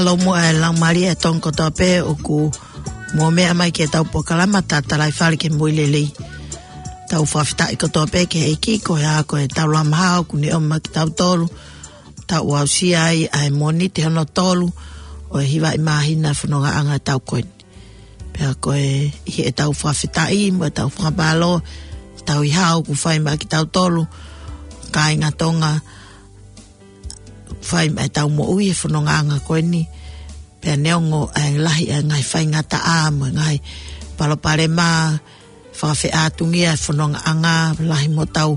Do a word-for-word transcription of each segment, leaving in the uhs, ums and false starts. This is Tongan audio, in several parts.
Mālō muʻa e laumālie ʻa e Tonga kotoa pē ʻoku mou meʻa mai ki heʻetau polokalama Tatalaifale ki he Moʻui Lelei. Tau fakafetaʻi kotoa pē ki he ʻEiki, ko e hā ko ʻetau lā mahalo ʻoku ne ʻomai kiate kitautolu, tau aʻusia ai ʻa e Mōnite hono tolu ʻo e hiva ʻi māhina e fonongaʻanga ʻetau ko eni. Pea ko e ʻi heʻetau fakafetaʻi mo ʻetau fakamālō, tau ʻi hao ʻoku fai maʻa kitautolu, kāinga Tonga, fai maʻa ʻetau moʻui he fonongaʻanga ko eni. Pea neongo ʻa e lahi ʻa e ngaahi faingataʻa mo e ngaahi palopalema, fakafeʻātungia e fonongaʻanga, lahi mo ʻetau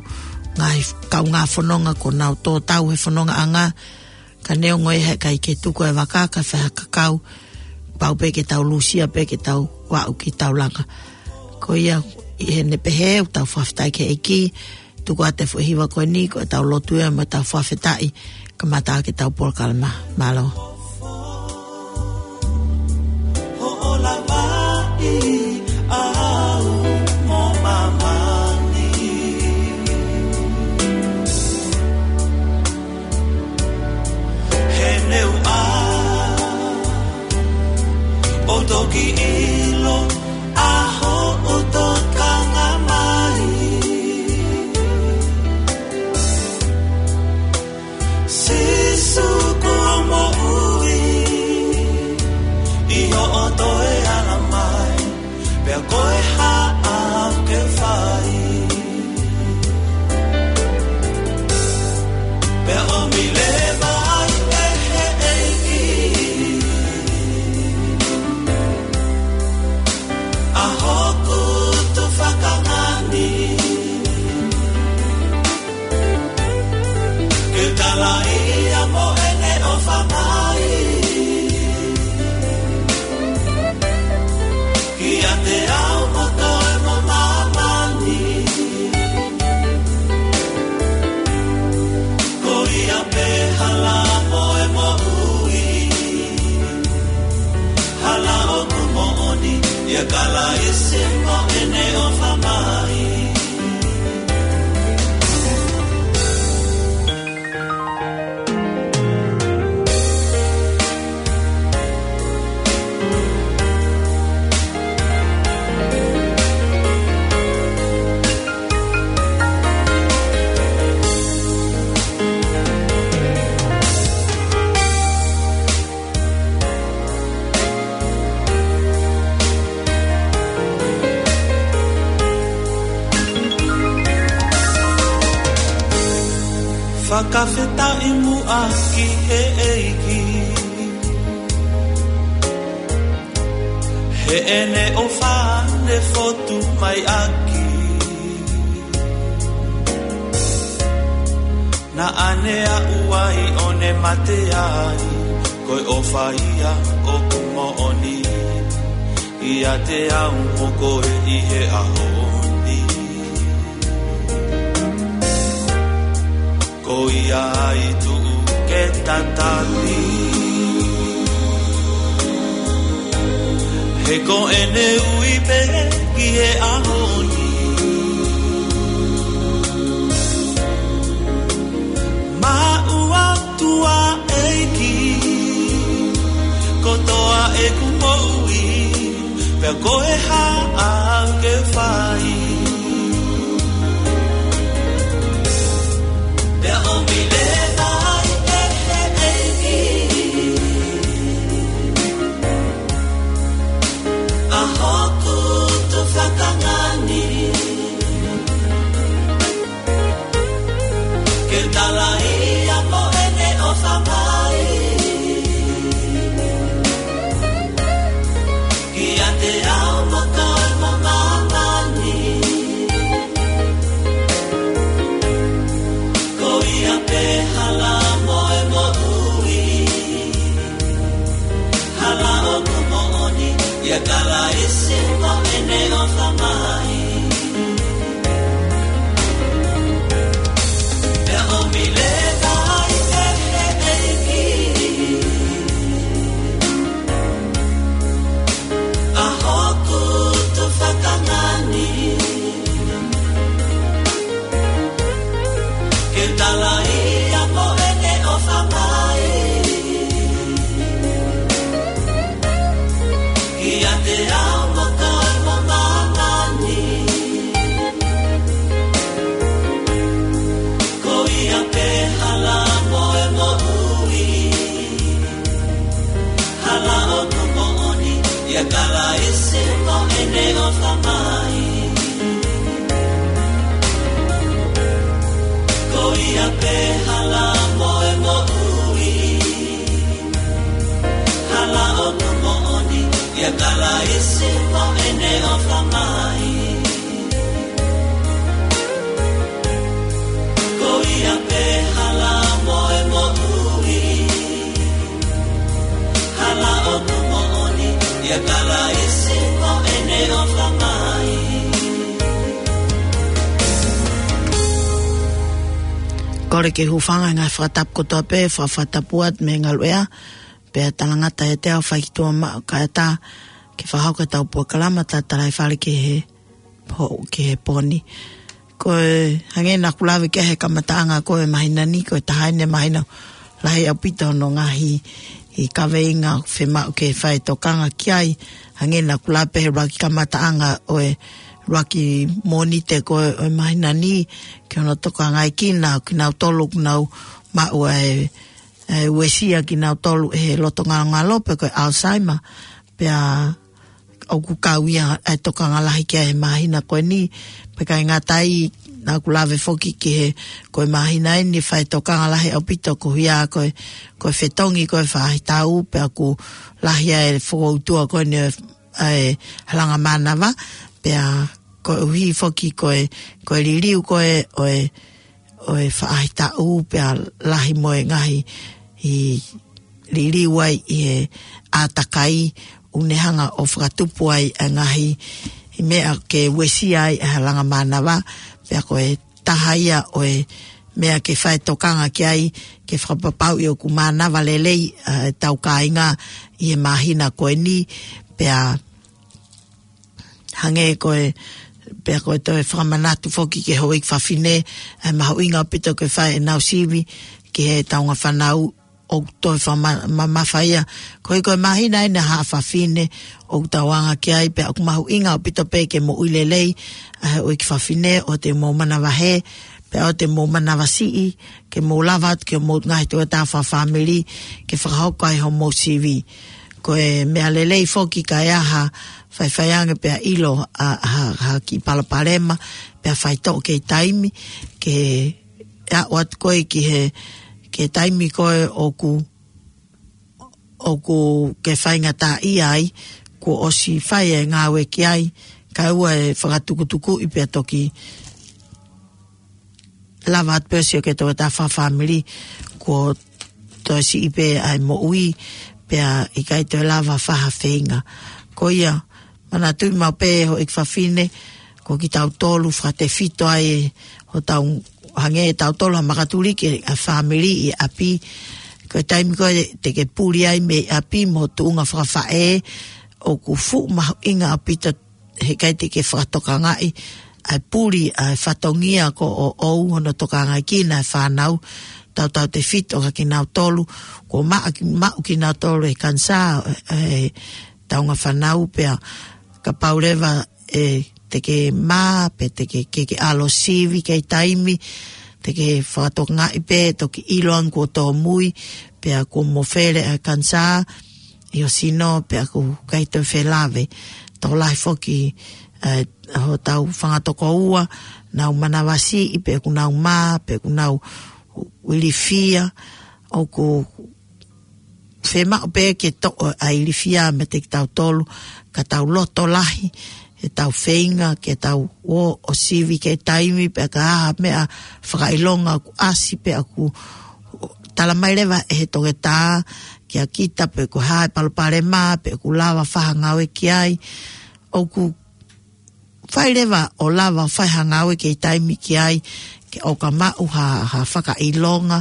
ngaahi kaungā fononga kuo nau tō tau he fonongaʻanga, ka neongo ia he ʻikai ke tuku e vaka ka fai ha kakau, pau pē ke tau lūsia pē ke tau aʻu ki taulanga. Ko ia ʻi heʻene pehē ʻoku tau fakafetaʻi ki he ʻEiki, tuku atu e foʻi hiva ko eni ko ʻetau lotu ia mo ʻetau fakafetaʻi, kamata ʻaki ʻetau polokalama. Mālō. Hoʻo lavaʻi au mo māmani. He neongo ʻoku toki ʻilo ʻa hoʻo tokanga mai. Sīsū ko e moʻui, ʻi hoʻo toe ala mai, pea ko e hā ʻoku ke fai? Pea ʻomi leva ai ʻe he ʻEiki ʻa hoku tufakanga ni. Ke talaʻi ia mo ʻene ʻofa mai kiate au mo toe mo māmani. Ko ia pē hala mo e moʻui, hala ʻoku moʻoni, ʻia Kalaisi mo ʻene ʻofa mai. Fakafetaʻi muʻa ki he ʻEiki heʻene ʻofa ne fotu mai ʻaki. Naʻa ne aʻu ai ʻo ne mate ai, ko e ʻofa ia ʻoku moʻoni ʻiate au mo koe ʻi he ʻaho ni. Ko ia ai tuʻu ke tatali, he ko ʻene ui pē ki he ʻaho ni. Maʻu atu ʻa e ʻEiki kotoa ʻeku moʻui, pea ko e hā ʻoku ke fai? Pea ʻomi leva ai ʻe he ʻEiki ʻa hoku tufakanga ni. Ke talaʻi ia mo ʻene ʻofa mai kiate au mo toe mo māmani. Ko ia pē hala mo e moʻui, hala ʻoku moʻoni, ʻia Kalaisi mo ʻene ʻofa mai. Pea ʻomi leva ai ʻe he ʻEiki ʻa hoku tufakanga ni. Ke talaʻi ia mo ʻene ʻofa mai Kalaisi mo ʻene ʻofa mai. Ko ia pē hala mo e moʻui. Hala ʻoku moʻoni, ʻia Kalaisi mo ʻene ʻofa mai. Ko ia pē hala mo e moʻui. Hala ʻoku moʻoni, ʻia Kalaisi mo ʻene ʻofa mai. Kole ke hūfanga he ngaahi fakatapu kotoa pē, fakafatapuat mei he ngaluʻea, pea talangata ʻiate au fai ki tuʻa maʻu kae ʻatā ke fakahoko ʻetau polokalama tatalaifale ki he po-, ki he pō ni. Ko e hangē naʻa ku lave ki ai he kamataʻanga ko e māhina ni, ko e taha eni e māhina lahi ʻaupito hono ngaahi ʻi kaveinga fiemaʻu ke fai tokanga ki ai. Hangē naʻa ku lave pē he ʻuluaki kamataʻanga ʻo e ʻuluaki Mōnite ko e, ʻo e māhina ni, ki hono tokangaʻi kinautolu ʻoku nau maʻu ʻa e, ʻa e uesia kinautolu ʻe he loto ngalongalo pe ko e Alzheimer. Pea ʻoku kau ia ʻa e tokanga lahi ki ai he māhina ko eni, pea ʻikai ngata ai, naʻa ku lave foki ki he, ko e māhina eni fai tokanga lahi ʻaupito ko ia ko e, ko e fetongi ko e faʻahitaʻu, pea ʻoku lahi ʻa e fokoutua ko eni ʻa e halanga mānava, pea koeʻuhi foki ko e, ko e liliu ko e, ʻo e, ʻo e faʻahitaʻu pea lahi mo e ngaahi ʻi liliu ai ʻi he ʻātakai ʻoku ne hanga ʻo fakatupu ai ʻa e ngaahi ʻi meʻa ke uesia ai ʻa e halanga mānava, pea ko e taha ia ʻo e meʻa ke fai tokanga ki ai, ke fakapapauʻi ʻoku mānava lelei ʻa e tau kāinga ʻi he māhina ko eni, pea hangē ko e, pea ko e toe fakamanatu foki ki he houʻeiki fafine, ʻa e mahuʻinga ʻaupito ke fai ʻenau sivi ki he taunga fānau ʻoku toe fakama-, mamafa ia. Ko e, ko e māhina eni ʻa e haʻa fafine ʻoku tau anga ki ai, pea ʻoku mahuʻinga ʻaupito pē ke moʻui lelei ʻa e houʻeiki fafine ʻo te mou manavahē, pea ʻo te mou manavasiʻi, ke mou lava atu ki homou ngaahi tokotaha fakafāmili, ke fakahoko ai homou sivi. Ko e meʻa lelei foki ka ʻi ai ha faifai ange pea ʻilo ʻa, ha, ha kiʻi palopalema, pea faitoʻo kei taimi, ke aʻu atu koe ki he, ki he taimi ko ē ʻoku, ʻoku ke faingataʻaʻia ai, kuo ʻosi fai e ngāue ki ai, kae ʻoua ʻe fakatukutukuʻi pea toki lava atu pē ʻo sio ki he tokotaha fakafāmili, kuo toe siʻi pē ʻa e moʻui, pea ʻikai toe lava fai ha feinga. Ko ia, manatuʻi maʻu pē houʻeiki fafine, ko kitautolu fakatefito ai ʻe hotau, hangē ʻe tautolu ha makatuliki ʻa e fāmili ʻi ʻapi. Ko e taimi ko ē te ke puli ai mei ʻapi mo e tuʻunga fakafaʻē, ʻoku fuʻu mahuʻinga ʻaupito he ʻikai te ke fakatokangaʻi ʻa e puli ʻa e fatongia ko ē ʻoʻou hono tokangaʻi kinautolu e fānau, tautautefito kia kinautolu kuo maʻa ki-, maʻu kinautolu e kanisā ʻi he taunga fānau, pea kapau leva ʻe te ke mā, pe te ke, ke, ke ʻalu ʻo sivi kei taimi, te ke fakatokangaʻi pē, toki ʻilo ange kuo tōmui, pea kuo mofele ʻa e kanisā ʻi ho sino, pea ʻoku ʻikai toe felave. Tokolahi foki, ē, hotau fanga tokoua, nau manavasiʻi, pe ʻoku nau mā, pe ʻoku nau ilifia, ʻoku fiemaʻu pē ke toʻo ʻa e ilifia meiate kitautolu, ka tau loto lahi, ʻetau feinga ke tau ō ʻo sivi kei taimi, pea ka ʻi ai ha meʻa fakaʻilonga ʻoku ʻasi, pea ʻoku tala mai leva ʻe he toketā kia kita pe ko e hā e palopalema, pe ʻoku lava fai ha ngāue ki ai, ʻoku fai leva ʻo lava fai ha ngāue kei taimi ki ai, ke ʻoua ka maʻu ha, ha fakaʻilonga,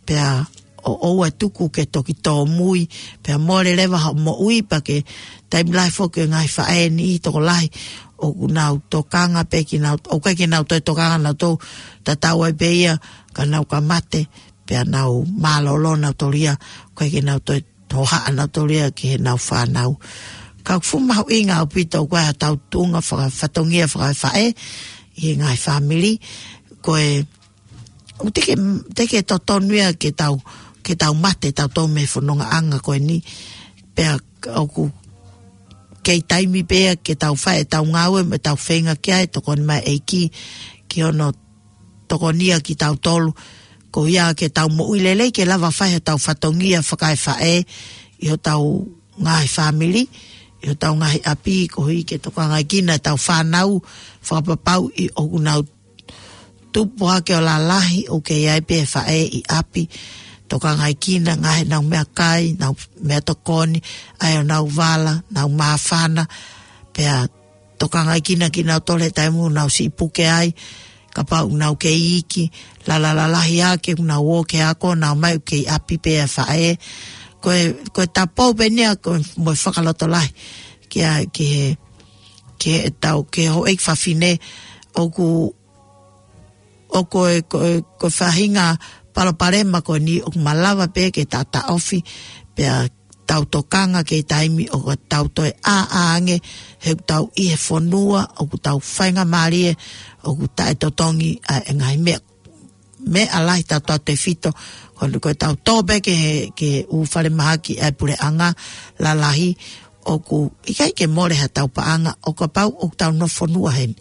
pea ʻoua ʻe tuku ke toki tōmui, pea mole leva hoʻo moʻui, pea ko e taimi lahi foki e ngaahi faʻē ni ʻi tokolahi, ʻoku nau tokanga pē kinau, ʻoku ʻikai ke nau toe tokanga nautolu, tatau ai pē ia, ka nau ka mate, pea nau mālōlō nautolu ia, ʻoku ʻikai ke nau toe hohaʻa nautolu ia ki heʻenau fānau. Ka ʻoku fuʻu mahuʻinga ʻaupito ko ē ʻa e tau tuʻunga faka-, fatongia fakafaʻē ʻi he ngaahi fāmili, ko e, ʻoku teʻeki, teʻeki totonu ia ke tau, ke tau mate tautolu mei he fonongaʻanga ko eni, pea ʻoku kei taimi pē ia ke tau fai ʻetau ngāue mo ʻetau feinga ki ai, tokoni mai ʻEiki ki hono tokonia kitautolu. Ko ia ke tau moʻui lelei ke lava fai hotau fatongia fakaefaʻē ʻi hotau ngaahi fāmili, ʻi hotau ngaahi ʻapi, koeʻuhi ke tokangaʻi kinautolu ʻetau fānau, fakapapauʻi ʻoku nau tupu hake ʻo lalahi ʻoku kei ʻi ai pē faʻē ʻi ʻapi, tokangaʻi kinautolu ngaahi ʻenau meʻakai, ʻenau meʻatokoni, ʻa ʻenau vala, ʻenau māfana, pea tokangaʻi kinautolu kinautolu he taimi ʻoku nau siʻi puke ai, kapau ʻoku nau kei iiki, lala lalahi ake ʻoku nau ō ki he ako, nau ō mai ʻoku kei ʻi ʻapi pē ʻa e faʻē. Ko e, ko e tapou pē eni ia, ko e mo e fakalotolahi, ki he, ki he, ki heʻetau, ki he houʻeiki fafine, ʻoku, ʻoku ʻi ai, ko e, ko e faʻahinga palopalema ko eni ʻoku malava pē ke taʻotaʻofi, pea tau tokanga ki he taimi ʻoku tau toe ʻā, ʻā ange, he ʻoku tau ʻi he fonua ʻoku tau faingamālie, ʻoku taʻetotongi ʻa e ngaahi meʻa, meʻa lahi tautautefito, ko e, ko ʻetau tō pē ki he, ki he ʻū falemahaki ʻa e puleʻanga lalahi, ʻoku ʻikai ke mole haʻatau paʻanga, ʻo kapau ʻoku tau nofo fonua heni.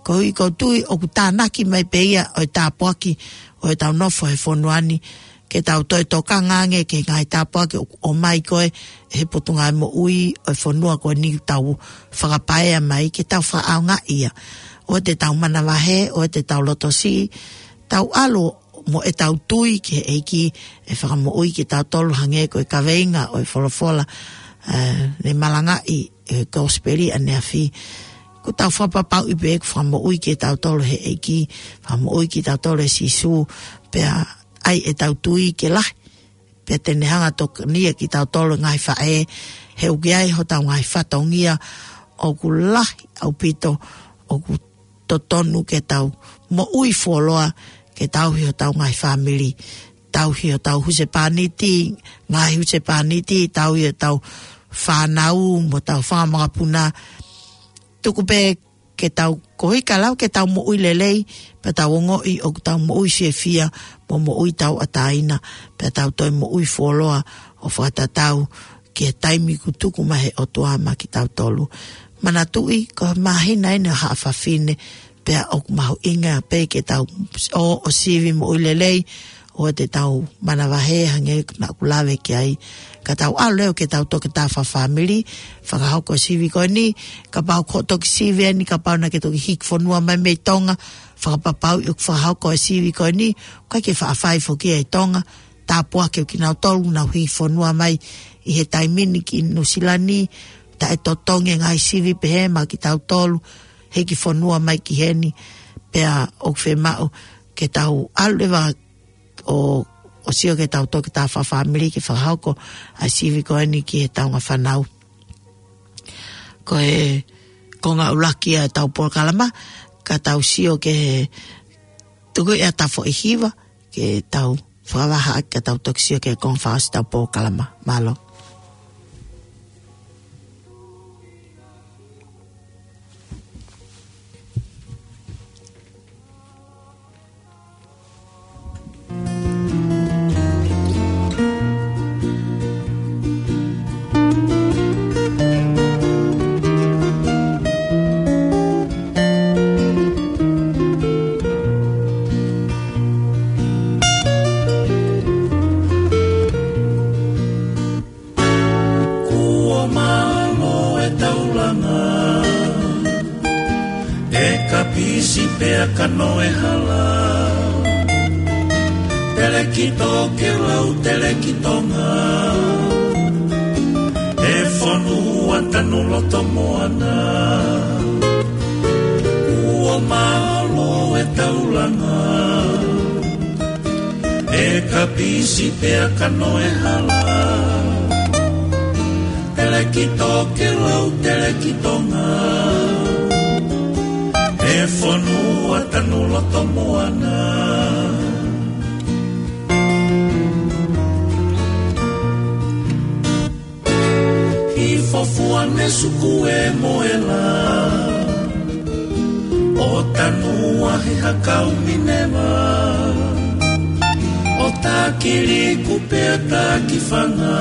Koeʻuhi ʻoku ou tui ʻoku tānaki mai pē ia ʻo e tāpuaki ʻo ʻetau nofo he fonua ni, ke tau toe tokanga ange ki he ngaahi tāpuaki ʻoku ʻomai ko ē ʻe he Potungāue Moʻui ʻo e fonua ko eni ʻoku tau fakapaea mai, ke tau fakaʻaongaʻi ia. ʻOua te tau manavahē, ʻoua te tau lotosiʻi, tau ʻalu mo ʻetau tui ki he ʻEiki ʻe fakamoʻui kitautolu hangē ko e kaveinga ʻo e folofola, ē, ne malangaʻi ʻe he kosipeli ʻaneafi. ʻOku tau fakapapauʻi pē ʻoku fakamoʻui kitautolu ʻe he ʻEiki, fakamoʻui kitautolu ʻe Sīsū, pea ʻai ʻetau tui ke lahi, pea te ne hanga ʻo tokonia kitautolu ngaahi faʻē, he ʻoku ʻi ai hotau ngaahi fatongia ʻoku lahi ʻaupito, ʻoku totonu ke tau moʻui fuoloa, ke tauhi hotau ngaahi fāmili, tauhi hotau husepāniti, ngaahi husepāniti, tauhi hotau fānau, mo hotau fanga makapuna. Tuku pē ke tau, koeʻuhi ka lau ke tau moʻui lelei, pea tau ongoʻi ʻoku tau moʻui fiefia, mo moʻui tauʻatāina, pea tau toe moʻui fuoloa ʻo fakatatau ki he taimi kuo tuku mai ʻe he ʻOtua maʻa kitautolu. Manatuʻi, ko e māhina eni ʻo e Haʻa Fafine, pea ʻoku mahuʻinga pē ke tau ō ʻo sivi moʻui lelei, ʻoua te tau manavahē hangē naʻa ku lave ki ai. Ka tau ʻalu leva ke tau toketā fakafāmili, fakahoko e sivi ko eni, kapau ʻoku toki sivi eni, kapau naʻa ke toki hiki fonua mai mei Tonga, fakapapauʻi ʻoku fakahoko e sivi ko eni, ʻoku ʻikai ke faʻa fai foki ia ʻi Tonga, tāpuakiʻi kinautolu ʻoku nau hiki fonua mai ʻi he taimi ni ki Nuʻusila ni, taʻetotongi e ngaahi sivi pehē maʻa kitautolu, hiki fonua mai ki heni, pea ʻoku fiemaʻu ke tau ʻalu leva ʻo, ʻo sio ke tau toketā fakafāmili ke fakahoko ʻa e sivi ko eni ki he taunga fānau. Ko e konga ʻuluaki ʻa ʻetau polokalama, ka tau sio ki he tuku ia tafoʻi hiva, ke tau fakavahaʻaki ka tau toki sio ki he konga fakaʻosi ʻetau polokalama. Mālō. Kuo mālō e taulanga, e kapisi pea kanoe hala. Telekito ke lau telekitonga, e fonua tanu loto moana. Kuo mālō e taulanga, e kapisi pea kanoe hala. Telekito ke lau telekitonga, e fonua tanu loto moana. Hifo fua ne suku e moela, ʻo tanu ahi hakau Mineva, ʻo taki liku pea taki fanga,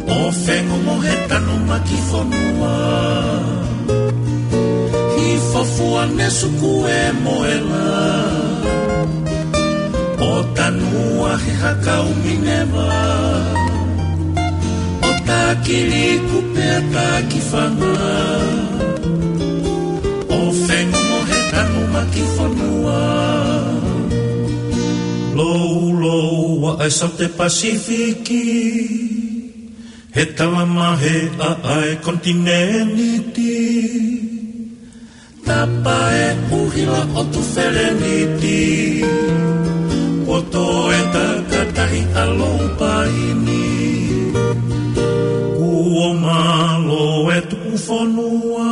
ʻo ʻO fengongo he tanumaki fonua, hifo fua ne suku e moela, ʻo tanua he hakau Mineva, ʻo takili kupe ʻa taki fanga, ʻo fengongo he tanumaki fonua. Lou, lou, ʻa e Saute Pasifiki, he talamahe ʻa e konitinēniti. Tapa e ʻuhila ʻo Tufeleniti, kuo toe takatahi ʻa Loupaini. Kuo mālō e tuku fonua,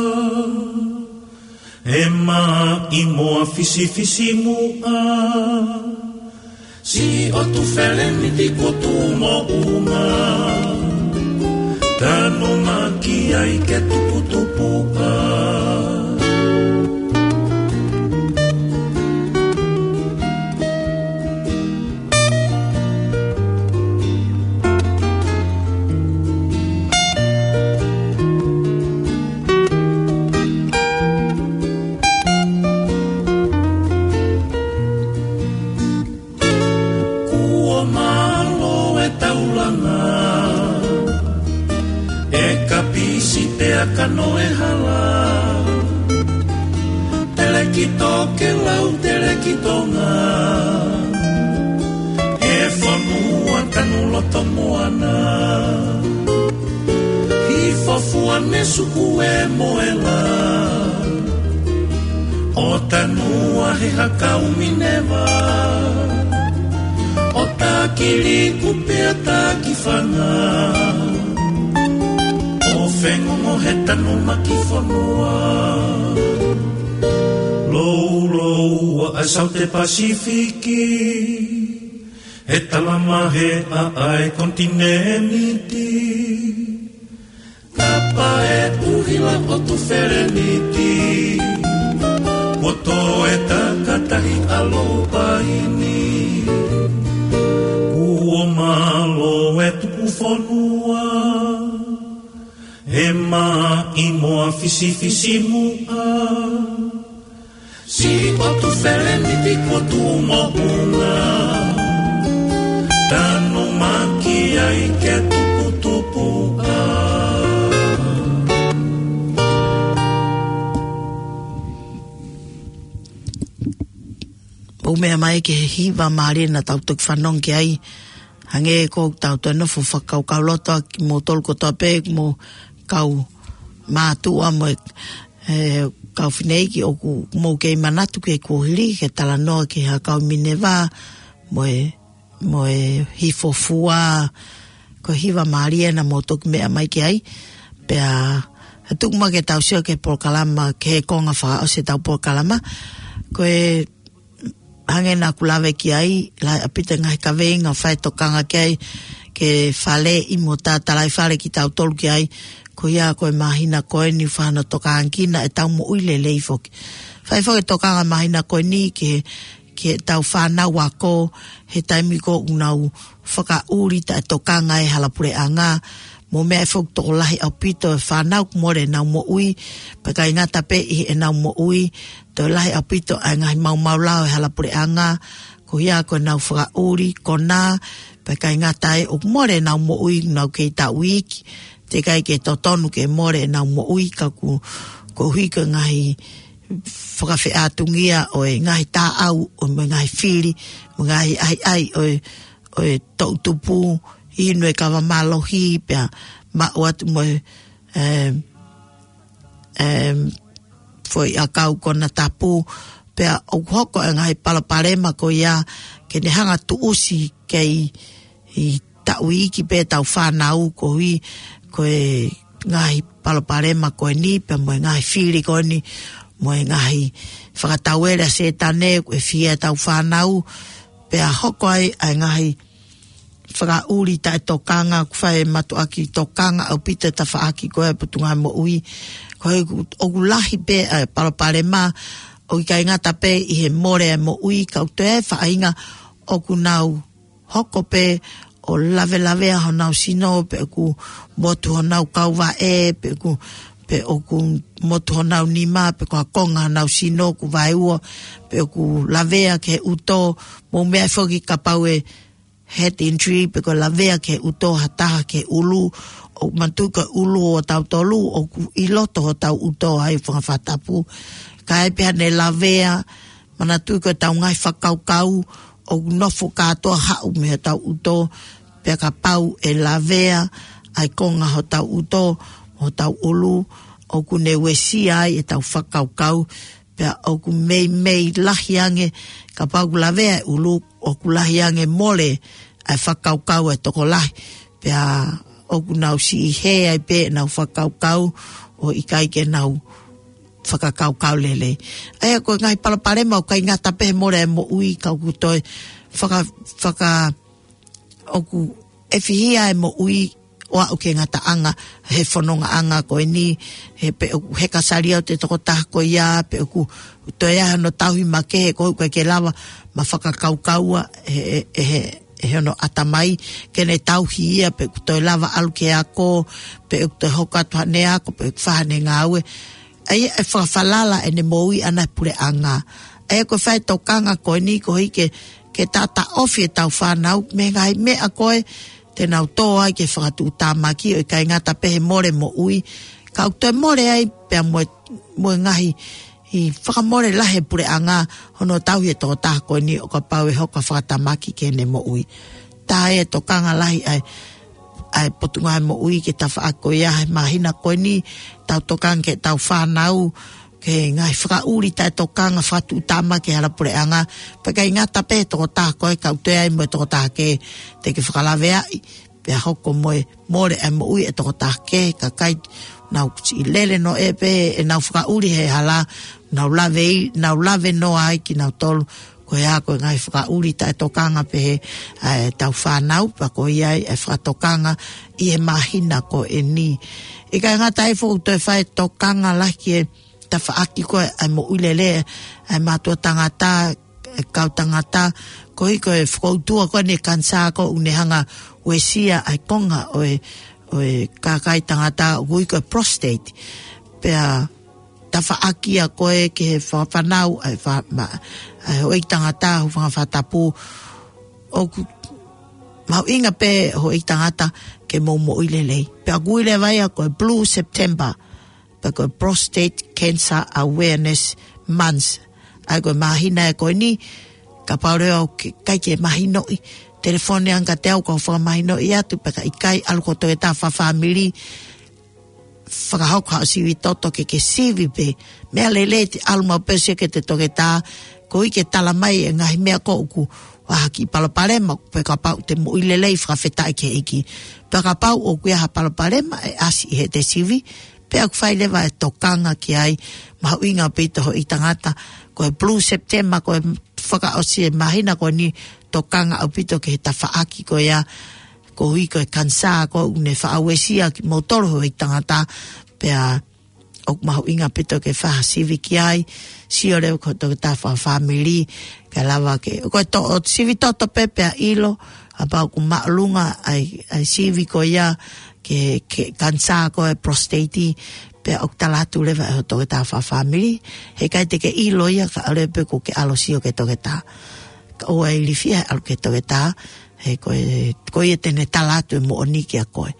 e maʻimoa fisifisimuʻa. Siʻi ʻo Tufeleniti kuo tuʻu moʻunga, tanumaki ai ke tuputupuʻa. Kuo mālō e taulanga, e kapisi pea kano e hala. Telekito ke lau, Telekitonga, e fonua tanu loto moana. Hifo fua ne suku e moela, ʻo tanua he hakau Mineva, ʻo takili kupe ʻa taki fanga, ʻo fengongo he tanumaki fonua. Lou, lou, ʻa e Saute Pasifiki, he talamahe ʻa e konitinēniti. Tapa e ʻuhila ʻo Tufeleniti, kuo toe takatahi ʻa Loupaini. Kuo mālō e tuku fonua, e maʻimoa fisifisimuʻa. Siʻi ʻo Tufeleniti kuo tuʻu moʻunga, tanumaki ai ke tuputupuʻa. ʻOku meʻa mai ki he hiva mālie naʻa tau toki fanongo ki ai, hangē ko ʻetau toe nofo fakakaukauloto ʻa kimoutolu kotoa pē, mo e kau mātuʻa mo e, e, kau fineʻeiki ʻoku mou kei manatu ki he kuohili, ki he talanoa ki he hakau Mineva, mo e, mo e hifo fua, ko e hiva mālie naʻa mou toki meʻa mai ki ai. Pea, he tuku mai ke tau sio ki he polokalama, ki he konga fakaʻosi ʻetau polokalama. Ko e hangē naʻa ku lave ki ai, lahi ʻaupito e ngaahi kaveinga ʻoku fai tokanga ki ai, ki he faleʻi mo e tatalaifale kitautolu ki ai, ko ia ko e māhina ko eni ʻoku fai hono tokangakina ʻetau moʻui lelei foki. Fai foki e tokanga māhina ko eni ki he, ki heʻetau fānau ako, he taimi ko ē ʻoku nau fakaʻuli taʻetokanga he hala puleʻanga, mo e meʻa ʻe foki tokolahi ʻaupito e fānau ʻoku mole ʻenau moʻui, pea ʻikai ngata pē ʻi heʻenau moʻui, toe lahi ʻaupito ʻa e ngaahi maumau lao he hala puleʻanga, ko ia ko ʻenau fakaʻuli, konā, pea ʻikai ngata ai ʻoku mole ʻenau moʻui, nau kei taʻu iiki, teʻeki ai ke totonu ke mole ʻenau moʻui, ka ko e, koeʻuhi ko e ngaahi fakafeʻātungia ʻo e ngaahi taʻau, ʻo mo e ngaahi fili, mo e ngaahi ʻahiʻahi ʻo e, ʻo e toʻutupu, inu e kava mālohi, pea maʻu atu mo e, em, em, foʻi ʻakau konatapu, pea ʻoku hoko e ngaahi palopalema ko ia ke ne hanga tuʻusi kei taʻu iiki pē ʻetau fānau koeʻuhi ko e ngaahi palopalema ko eni, pea mo e ngaahi fili ko eni, mo e ngaahi fakatauele ʻa Sētane ʻoku fie ʻetau fānau, pea hoko ai ʻa e ngaahi fakaʻuli taʻetokanga, ʻoku fai e mātuʻaki tokanga ʻaupito e tafaʻaki ko ē ʻa e Potungāue Moʻui. Ko e ʻoku, ʻoku lahi pē ʻa e palopalema, ʻoku ʻikai ngata pē ʻi he mole e moʻui, ka ʻoku toe ʻi ai e faʻahinga ʻoku nau hoko pē ʻo lavelavea honau sino, pe ʻoku motu honau kauvaʻe, pe ʻoku, pe ʻoku motu honau nima, pe ko ha konga honau sino ʻoku vaeua, pe ʻoku lavea ki he ʻuto, mou meaʻi foki kapau ʻe head injury, pe ko e lavea ki he ʻuto ha taha ki he ʻulu, ʻoku manatuʻi ko e ʻulu ʻo tautolu, ʻoku ʻi loto hotau ʻuto ai fanga fakatapu. Ka ʻi ai pē haʻane lavea, manatuʻi ko ʻetau ngaahi fakakaukau, ʻoku nofo kātoa haʻu mei hotau ʻuto, pea kapau ʻe lavea ʻa e konga hotau ʻuto, hotau ʻulu, ʻoku ne uesia ai ʻetau fakakaukau, pea ʻoku meimei lahi ange, kapau ʻoku lavea e ʻulu, ʻoku lahi ange mole ʻa e fakakaukau ʻa e tokolahi, pea ʻoku nau siʻi hē ai pē ʻenau fakakaukau, ʻo ʻikai ke nau fakakaukau lelei. ʻA ia ko e ngaahi palopalema ʻoku ʻikai ngata pē he mole e moʻui, ka ʻoku toe faka-, faka-, ʻoku ʻefihia e moʻui ʻo aʻu ki he ngataʻanga he fonongaʻanga ko eni, he pe ʻoku heka sali atu e tokotaha ko ia, pe ʻoku toe ʻi ai hano tauhi makehe, ko ʻoku ʻikai ke lava mo fakakaukaua he, he, he, he hono ʻatamai, ke ne tauhi ia, pe ʻoku toe lava ʻalu ki he ako, pe ʻoku toe hoko atu haʻane ako, pe ʻoku fai haʻane ngāue. ʻA ia ʻe fakafalala ʻene moʻui ʻana he puleʻanga. ʻA ia ko e fai tokanga ko eni koeʻuhi ke, ke taʻotaʻofi ʻetau fānau mei he ngaahi meʻa ko ē te nau tō ai ki he fakatuʻutāmaki, ʻo ʻikai ngata pē he mole moʻui, ka ʻoku toe mole ai pea mo e, mo e ngaahi, ʻi he fakamole lahi e puleʻanga hono tauhi e tokotaha ko eni ʻo kapau ʻe hoko ʻo fakatamaki ki heʻene moʻui. Tā e tokanga lahi ʻa e, ʻa e Potungāue Moʻui ki he tafaʻaki ko ia he māhina ko eni, tau tokanga ki heʻetau fānau, ki he ngaahi fakaʻuli taʻetokanga fakatuʻutāmaki he hala puleʻanga, pea ʻikai ngata pē he tokotaha ko ē, ka ʻoku toe ʻi ai mo e tokotaha kehe te ke fakalaveaʻi, pea hoko mo e mole ʻa e moʻui e tokotaha kehe, kakai naʻa nau siʻi lele noa ʻe pē ʻenau fakaʻuli he hala, nau lave ʻi, nau lave noa ai kinautolu, ko ia ko e ngaahi fakaʻuli taʻetokanga pē he, ʻa ʻetau fānau, pea ko ia ai e fakatokanga ʻi he māhina ko eni. ʻIkai ngata ai foki ʻoku toe fai tokanga lahi ki he tafaʻaki ko ē ʻa e moʻui lelei ʻa e mātuʻa tangata, e kau tangata, koeʻuhi ko e fokoutua ko eni e kanisā ko ē ʻoku ne hanga ʻo uesia ʻa e konga ʻo e, ʻo e kakai tangata ʻoku ui ko e prostate. Pea tafaʻaki ia ko ē ki he fanga fānau, ʻa e fa-, ma-, ʻa e houʻeiki tangata, houʻeiki fanga fakatapu, ʻoku mahuʻinga pē houʻeiki tangata ke mou moʻui lelei. Pea ʻoku ui leva ia ko e Blue September, pe ko e Prostate Cancer Awareness Month. ʻA ia ko e māhina ē ko eni, kapau leva ʻoku ʻikai ke mahinoʻi, telefoni ange kiate au kau fakamahinoʻi atu, pea ka ʻikai ʻalu ki ho toketā fakafāmili, fakahoko haʻo sivi toto ke ke sivi pē. Meʻa lelei te ʻalu maʻu pē ʻo sio ki he toketā, koeʻuhi ke tala mai e ngaahi meʻa ko ē ʻoku ʻi ai ha kiʻi palopalema, pe kapau te moʻui lelei fakafetaʻi ki he ʻEiki. Pea kapau ʻoku ʻi ai ha palopalema ʻe ʻasi ʻi heʻete sivi, pea ʻoku fai leva e tokanga ki ai, mahuʻinga ʻaupito houʻeiki tangata, ko e Blue September, ko e fakaʻosi e māhina ko eni tokanga ʻaupito ki he tafaʻaki ko ia, koeʻuhi ko e kanisā ko ē ʻoku ne faʻa uesia kimoutolu houʻeiki tangata, pea ʻoku mahuʻinga ʻaupito ke fai ha sivi ki ai, sio leva ki ho toketā fakafāmili, kae lava ke, ko e to-, ʻo sivi toto pē pea ʻilo, kapau ʻoku māʻolunga ʻa e, ʻa e sivi ko ia ki he, ki he kanisā ko ē prostate, pea ʻoku tala atu leva ʻe ho toketā fakafāmili, heʻikai te ke ʻilo ia kae ʻoua pē kuo ke ʻalu ʻo sio ki he toketā. Ka ʻoua ʻe ilifia he ʻalu ki he toketā, he ko e, ko ia te ne tala atu e moʻoni kiate koe.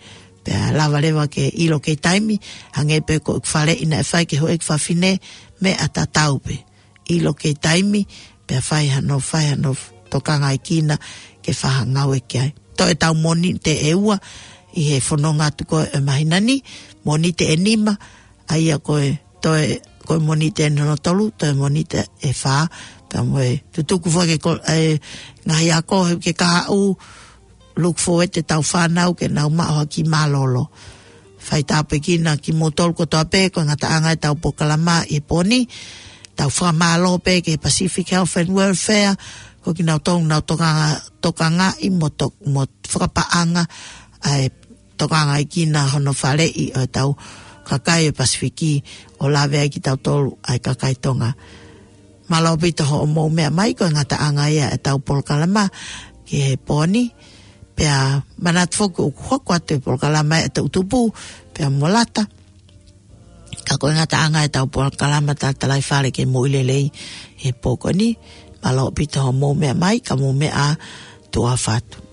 Pea lava leva ke ʻilo kei taimi, hangē pē ko e faleʻi naʻe fai ki he houʻeiki fafine, meʻa tatau pē. ʻIlo kei taimi, pea fai hano, fai hano tokangaʻi kinaua ke fai ha ngāue ki ai. Toe ʻetau Mōnite ʻe ua ʻi he fononga atu ko ē ʻo e māhina ni, Mōnite ʻe nima, ʻa ia ko e toe, ko e Mōnite ʻe hono tolu, toe Mōnite ʻe fā, pea mo e tutuku foki ko e ngaahi ako he uike kahaʻu, look forward ʻetau fānau ke nau maʻu ha kiʻi mālōlō. Fai tāpuekina kimoutolu kotoa pē, ko e ngataʻanga ʻetau polokalama ʻi he pō ni, tau fakamālō pē ki he Pacific Health and Welfare, ko kinautolu naʻa nau tokanga, tokangaʻi mo to-, mo fakapaʻanga ʻa e tokangaʻi kinaua hono faleʻi ʻo ʻetau kakai ʻo e Pasifiki ʻo lave ai kitautolu ʻa e kakai Tonga. Mālō ʻaupito hoʻomou meʻa mai, ko e ngataʻanga ia ʻetau polokalama ki he pō ni. Pea manatu foki ʻoku hoko atu e polokalama ʻa e Toʻu Tupu, pea mo Lata. Ka ko e ngataʻanga ʻetau polokalama Tatalaifale ki he Moʻui Lelei he pō ko eni. Mālō ʻaupito hoʻomou meʻa mai, ka mou meʻa ā, tuʻa ʻofa atu.